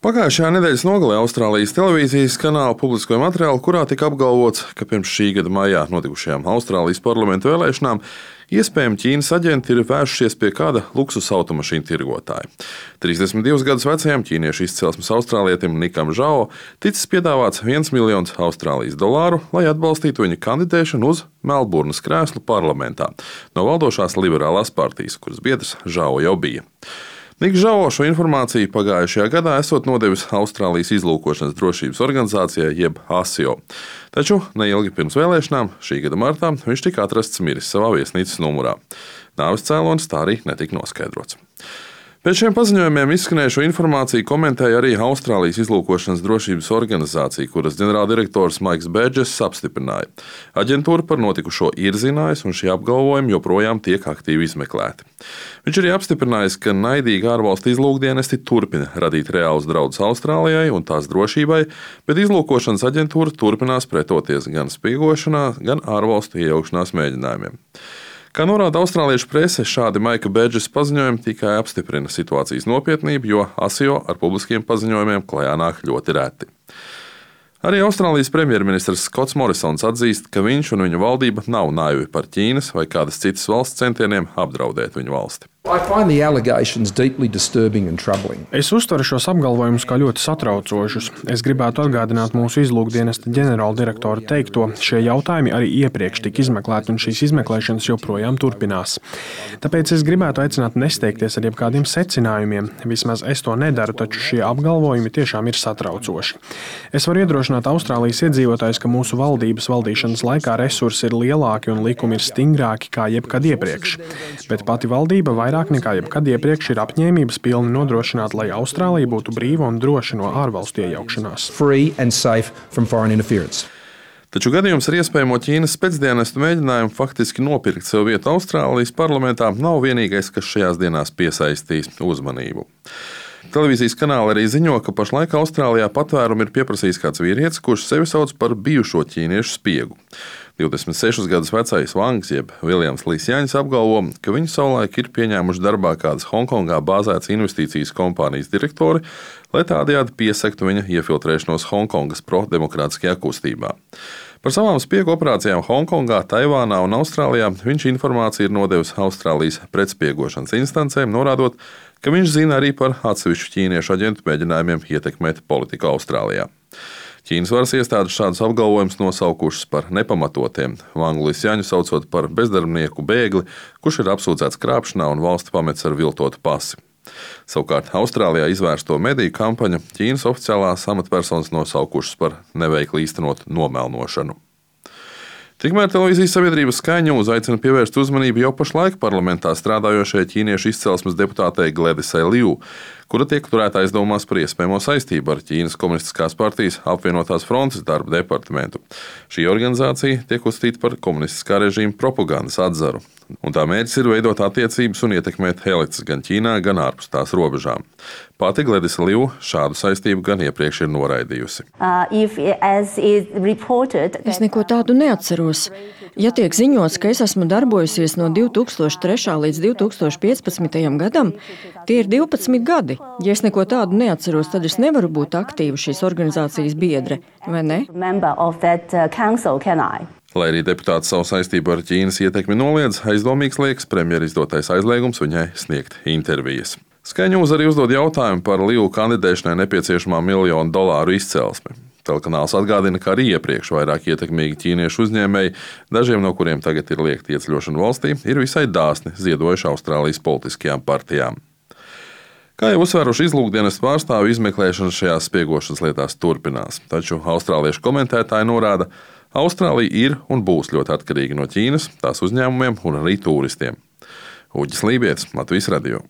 Pagājušajā nedēļas nogalē Austrālijas televīzijas kanāla publiskoja materiālu, kurā tika apgalvots, ka pirms šī gada maijā notikušajām Austrālijas parlamentu vēlēšanām iespējami Ķīnas aģenti ir vērsušies pie kāda luksusa automašīnu tirgotāja. 32 gadus vecajam ķīniešu izcelsmes austrālietim Nikam Žao ticis piedāvāts $1 miljons Austrālijas dolāru, lai atbalstītu viņa kandidēšanu uz Melburnas krēslu parlamentā no valdošās liberālās partijas, kuras biedrs Žao jau bija. Niks Žao šo informāciju pagājušajā gadā esot nodevis Austrālijas izlūkošanas drošības organizācijai jeb ASIO. Taču neilgi pirms vēlēšanām, šī gada martā, viņš tika atrasts miris savā viesnīcas numurā. Nāves cēlonis tā arī netika noskaidrots. Pēc šiem paziņojumiem izskanējušo informāciju komentēja arī Austrālijas izlūkošanas drošības organizācija, kuras ģenerāldirektors Maiks Bedžess apstiprināja. Aģentūra par notikušo ir zinājusi, un šie apgalvojumi joprojām tiek aktīvi izmeklēti. Viņš arī apstiprinājis, ka naidīgi ārvalstu izlūkdienesti turpina radīt reālus draudus Austrālijai un tās drošībai, bet izlūkošanas aģentūra turpinās pretoties gan spiegošanā, gan ārvalstu iejaukšanās mēģinājumiem. Kā norāda austrāliešu prese, šādi Maika Bedžesa paziņojumi tikai apstiprina situācijas nopietnību, jo ASIO ar publiskiem paziņojumiem klajā nāk ļoti reti. Arī Austrālijas premjerministrs Skots Morisons atzīst, ka viņš un viņa valdība nav naivi par Ķīnas vai kādas citas valsts centieniem apdraudēt viņu valsti. Es uztveru šos apgalvojumus kā ļoti satraucošus. Es gribētu atgādināt mūsu izlūkdienesta ģenerāldirektora teikto, šie jautājumi arī iepriekš tika izmeklēti, un šīs izmeklēšanas joprojām turpinās. Tāpēc es gribētu aicināt nesteigties ar jebkādiem secinājumiem. Vismaz es to nedaru, taču šie apgalvojumi tiešām ir satraucoši. Es varu iedrošināt Austrālijas iedzīvotājus, ka mūsu valdības valdīšanas laikā resursi ir lielāki un likumi ir stingrāki kā jebkad iepriekš. Bet pati valdība vairāk nekā jebkad iepriekš ir apņēmības pilni nodrošināt, lai Austrālija būtu brīva un droša no ārvalstu iejaukšanās. Taču gadījums ar iespējamo Ķīnas spēcdienestu mēģinājumu faktiski nopirkt sev vietu Austrālijas parlamentā nav vienīgais, kas šajās dienās piesaistīs uzmanību. Televīzijas kanāli arī ziņo, ka pašlaik Austrālijā patvērumu ir pieprasījis kāds vīrietis, kurš sevi sauc par bijušo ķīniešu spiegu. 26 gadus vecais Vangs jeb Viljams Līsjaņs apgalvo, ka viņu savulaik ir pieņēmuši darbā kādas Hongkongā bāzētas investīcijas kompānijas direktori, lai tādējādi piesegtu viņa iefiltrēšanos Hongkongas pro-demokrātiskajā kustībā. Par savām spiegu operācijām Hongkongā, Taivānā un Austrālijā viņš informāciju ir nodevis Austrālijas pretspiegošanas instancēm, norādot, ka viņš zina arī par atsevišķu ķīniešu aģentu mēģinājumiem ietekmēt politiku Austrālijā. Ķīnas varas iestādes šādus apgalvojumus nosaukušas par nepamatotiem, Vangu Līsjaņu saucot par bezdarbnieku bēgli, kurš ir apsūdzēts krāpšanā un valsti pametis ar viltotu pasi. Savukārt Austrālijā izvērsto mediju kampaņu Ķīnas oficiālās amatpersonas nosaukušas par neveikli īstenotu nomelnošanu. Tikmēr televīzijas sabiedrības Sky News aicina pievērst uzmanību jau pašlaik parlamentā strādājošajai ķīniešu izcelsmes deputātei Gledisai Liu, kura tiek turēta aizdomās par iespējamo saistību ar Ķīnas komunistiskās partijas apvienotās frontes darba departamentu. Šī organizācija tiek uzskatīta par komunistiskā režīma propagandas atzaru, un tā mērķis ir veidot attiecības un ietekmēt elites gan Ķīnā, gan ārpus tās robežām. Pati Gledisa Liu šādu saistību gan iepriekš ir noraidījusi. Es neko tādu neatceros. Ja tiek ziņots, ka es esmu darbojusies no 2003. līdz 2015. gadam, tie ir 12 gadi. Ja es neko tādu neatceros, tad es nevaru būt aktīva šīs organizācijas biedre, vai ne? Lai arī deputāts savu saistību ar Ķīnas ietekmi noliedz, aizdomīgs liekas premjera izdotais aizliegums viņai sniegt intervijas. Sky News arī uzdod jautājumu par Liu kandidēšanai nepieciešamā $1 miljonu izcelsmi. Telekanāls atgādina, ka arī iepriekš vairāk ietekmīgi ķīniešu uzņēmēji, dažiem no kuriem tagad ir liegta ieceļošana valstī, ir visai dāsni ziedojuši Austrālijas politiskajām partijām. Kā jau uzsvēruši izlūkdienestu pārstāvju, izmeklēšana šajās spiegošanas lietās turpinās, taču austrāliešu komentētāji norāda, Austrālija ir un būs ļoti atkarīga no Ķīnas, tās uzņēmumiem un arī turistiem. Uģis Lībietis, Latvijas radio.